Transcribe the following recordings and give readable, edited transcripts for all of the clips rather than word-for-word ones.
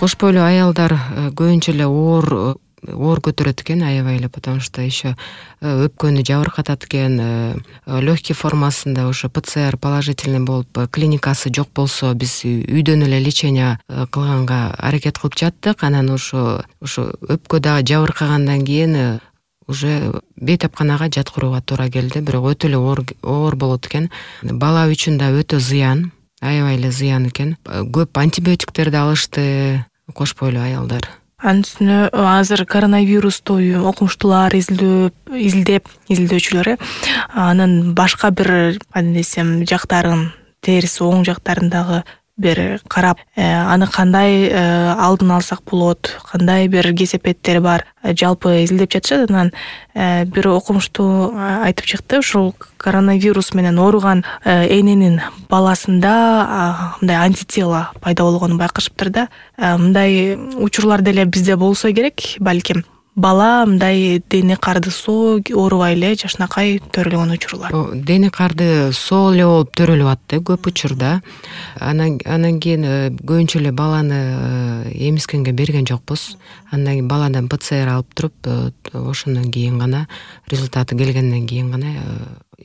Кош бойлуу аялдар көбүнчө эле оор көтөрөт экен, аябай эле, потому что еще өпкөнү жабыркатат экен. Легкий формасында ошо ПЦР положительный болуп, клиникасы жок болсо, биз үйдөн эле лечение кылганга аракет кылып жаттык. Анан ошо өпкө дагы жабыркагандан кийин уже бейтапканага жаткырууга туура келди. Бирок өтө эле оор болот экен. Бала үчүн да өтө зыян, аябай эле зыян экен. Көп антибиотиктерди алышты кош бойлуу аялдар. Анын үстүнө азыр коронавирусту окумуштуулар изилдөөчүлөр анын башка бир десем жактарын, терisi оң жактарын дагы бир карап, аны кандай алдын алсак болот, кандай бир кесепеттери бар, жалпы изилдеп жатышат. Анан бир окумуштуу айтып чыкты, ушул коронавирус менен ооруган эненин баласында мындай антитела пайда болгонун байкашыптыр да. Мындай учурлар деле бизде болсо керек, балким. Бала мындай дене карды соо оорубай эле жашынакай төрөлгөн учурлар. Дене карды соо эле болуп төрөлүп атты көп учурда. Анан кийин көбүнчө эле баланы эмискенге берген жокпуз. Андан кийин баладан ПЦР алып туруп, ошондон кийин гана, результаты келгенден кийин гана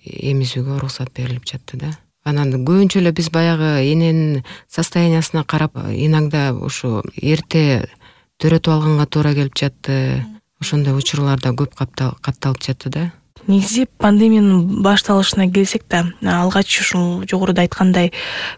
эмизүүгө уруксат берилип жатты да. Анан көбүнчө эле биз баягы эненин состояниясына карап, иногда ушу эрте төрөтүп алганга туура келип жатты. Ошондой учурларда көп катталып жатты да. Негизи пандемиянын башталышына келсек да, алгач ушул жогоруда айткандай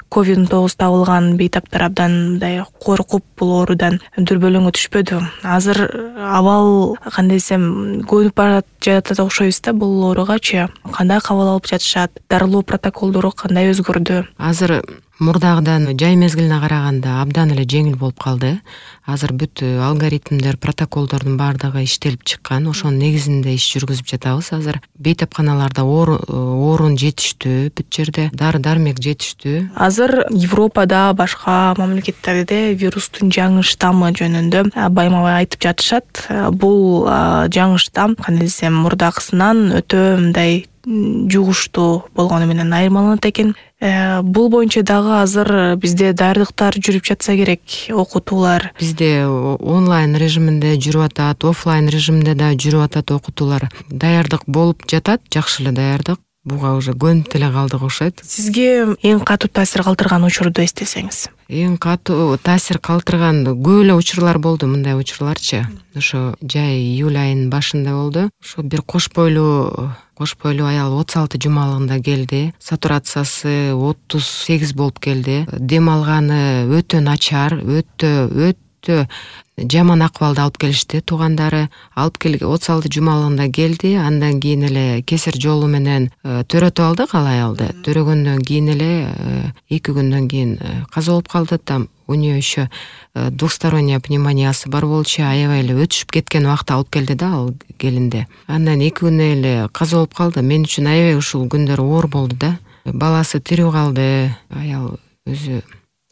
COVID-19 табылган бейтаптар абдан мындай коркуп бул оорудан дүрбөлөңгө түшпөдү. Азыр абал кандай десем көнүп бара жатат окшойбуз да бул ооругачы. Кандай кабыл алып жатышат, дарылоо протоколдору кандай өзгөрдү? Азыр мурдагыдан жай мезгилине караганда абдан эле жеңил болуп калды. Азыр бүт алгоритмдер, протоколдордун баардыгы иштелип чыккан. Ошонун негизинде иш жүргүзүп жатабыз. Азыр бейтапканаларда орун жетиштүү, бүт жерде дары-дармек жетиштүү. Азыр Европада, башка мамлекеттерде вирустун жаңы штаммы жөнүндө байма-бай айтып жатышат. Бул жаңы штамм, кандай десем, мурдакысынан өтө мындай жугуштуу болгону менен айырмаланат экен. Бул боюнча дагы азыр бизде даярдыктар жүрүп жатса керек, окутуулар. Бизде онлайн режиминде жүрүп атат, офлайн режиминде да жүрүп атат окутуулар. Даярдык болуп жатат, жакшы эле даярдык. Буга уже көнүп деле калдык окшойт. Сизге эң катуу таасир калтырган учурду эстесеңиз? Эң катуу таасир калтырган көп эле учурлар болду, мындай учурларчы. Ошо жай июль айынын башында болду. Ошо бир кош бойлуу аял 36 жумалыгында келди. Сатурациясы 38 болуп келди. Дем алганы өтө начар, өтө жаман акыбалда алып келишти. Туугандары алып келген 36 жумалыгында келди. Андан кийин эле кесир жолу менен төрөтүп алдык ал аялды. Төрөгөндөн кийин эле 2 күндөн кийин каза болуп калды. Там у нее еще двухсторонняя пневмониясы бар болчу, аябай эле өтүшүп кеткен убакта алып келди да ал келинди. Андан 2 күн эле каза болуп калды. Мен үчүн аябай ушул күндөр оор болду да. Баласы тирүү калды, аял өзү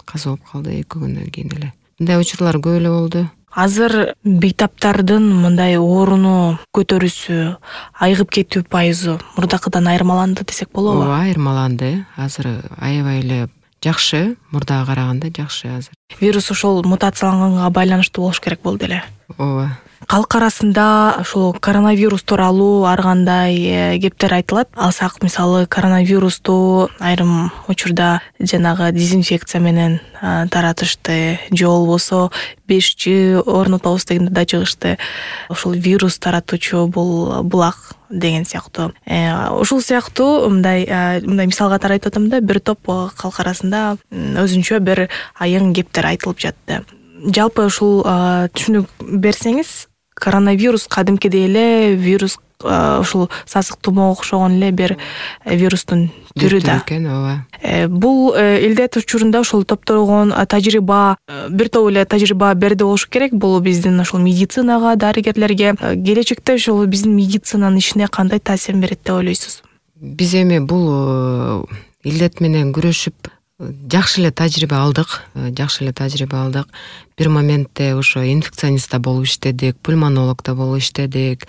каза болуп калды 2 күндөн кийин эле. Мындай учурлар көп эле болду. Азыр бейтаптардын мындай ооруну көтөрүүсү, айыгып кетүү пайызы мурдакыдан айырмаланды десек болобу? Ооба, айырмаланды. Азыр аябай эле жакшы, мурдага караганда жакшы азыр. Вирус ошол мутацияланганга байланыштуу болуш керек болду эле. Ооба. Калк арасында ушул коронавирус тууралуу ар кандай кептер айтылат. Алсак мисалы коронавирусту айрым учурда жанагы дезинфекция менен таратышты, же болбосо 5G орнотобуз дегенде да чыгышты. Ушул вирус таратуучу бул булак деген сыяктуу. Ушул сыяктуу мындай мисал катары айтып атам да, бир топ калк арасында өзүнчө бир айың кептер айтылып жатты. Жалпы ушул түшүнүк берсеңиз, коронавирус кадимкидей эле вирус, ушул сасык тумоого окшогон эле бир вирустун түрү да. Бул илдет учурунда ушул топтолгон тажрыйба, бир топ эле тажрыйба берди болушу керек. Бул биздин ушул медицинага, дарыгерлерге, келечекте ушул биздин медицинанын ишине кандай таасир берет деп ойлойсуз? Биз эми бул илдет менен күрөшүп жакшы эле тажрыйба алдык. Бир моментте ошо инфекционистта болуп иштедик, пульмонологда болуп иштедик.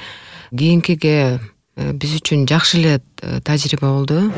Кийинкиге биз үчүн жакшы эле тажрыйба болду.